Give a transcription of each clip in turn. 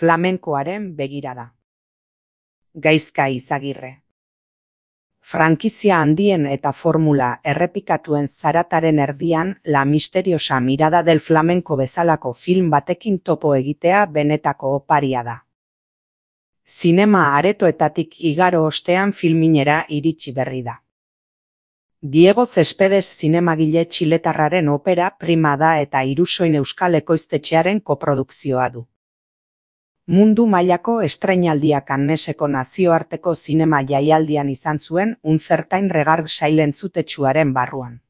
Flamenkoaren begirada. Gaizka Izagirre. Frankizia handien eta formula errepikatuen zarataren erdian La misteriosa mirada del flamenco bezalako film batekin topo egitea benetako oparia da. Zinema aretoetatik igaro ostean filminera iritsi berri da. Diego Céspedes zinemagile txiletarraren opera prima da eta Irusoin Euskal Ekoiztetxearen koprodukzioa du. Mundu mailako estreinaldia Canneseko nazioarteko zinema jaialdian izan zuen unzertain regard sailentzutetsuaren barruan.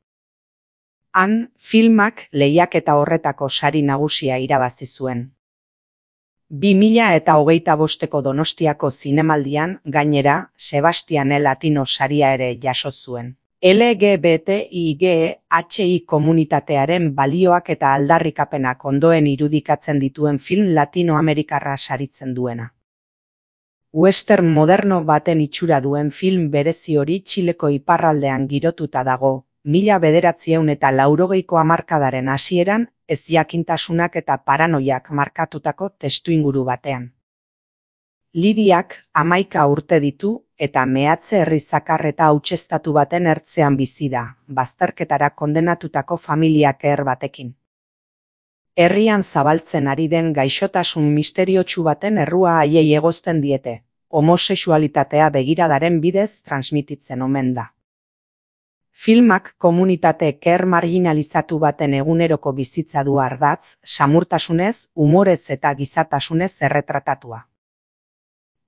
Han, filmak lehiaketa horretako sari nagusia irabazi zuen. 2025ko Donostiako zinemaldian, gainera, Sebastian Latino saria ere jaso zuen. LGBTIGHI komunitatearen balioak eta aldarrikapenak ondoen irudikatzen dituen film latinoamerikarra saritzen duena. Western moderno baten itxura duen film berezi hori Txileko iparraldean girotuta dago, 1980ko hamarkadaren hasieran, ezjakintasunak eta paranoiak markatutako testuinguru batean. Lidiak 11 urte ditu eta mehatze herri zakar eta hautseztatu baten ertzean bizi da, bazterketara kondenatutako familiak batekin. Herrian zabaltzen ari den gaixotasun misteriotsu baten errua haiei egozten diete, homosexualitatea begiradaren bidez transmititzen omen da. Filmak komunitate marginalizatu baten eguneroko bizitza du ardatz, samurtasunez, umorez eta gizatasunez erretratatua.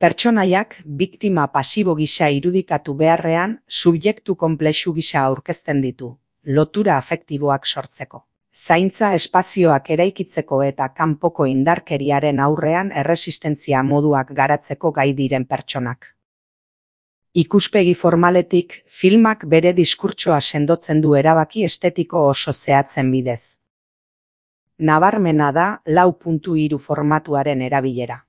Pertsonaiak biktima pasibo gisa irudikatu beharrean, subjektu konplexu gisa aurkezten ditu, lotura afektiboak sortzeko. Zaintza espazioak eraikitzeko eta kanpoko indarkeriaren aurrean erresistentzia moduak garatzeko gai diren pertsonak. Ikuspegi formaletik, filmak bere diskurtsoa sendotzen du erabaki estetiko oso zehatzen bidez. Nabarmena da 4.3 formatuaren erabilera.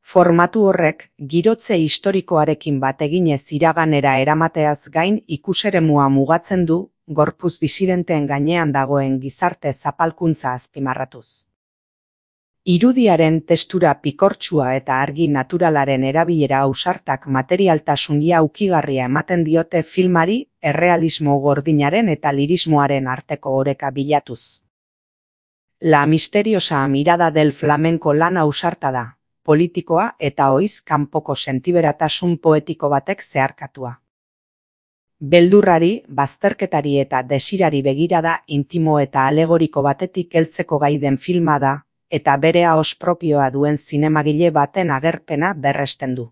Formatu horrek, girotze historikoarekin bat eginez iraganera eramateaz gain ikuseremua mugatzen du, gorputz disidenteen gainean dagoen gizarte zapalkuntza azpimarratuz. Irudiaren testura pikortsua eta argi naturalaren erabilera ausartak materialtasun ukigarria ematen diote filmari, errealismo gordinaren eta lirismoaren arteko oreka bilatuz. La misteriosa mirada del flamenco lan ausarta da, politikoa eta ohiz kanpoko sentiberatasun poetiko batek zeharkatua. Beldurrari, bazterketari eta desirari begirada intimo eta alegoriko batetik heltzeko gai den filma da, eta bere ahoz propioa duen zinemagile baten agerpena berresten du.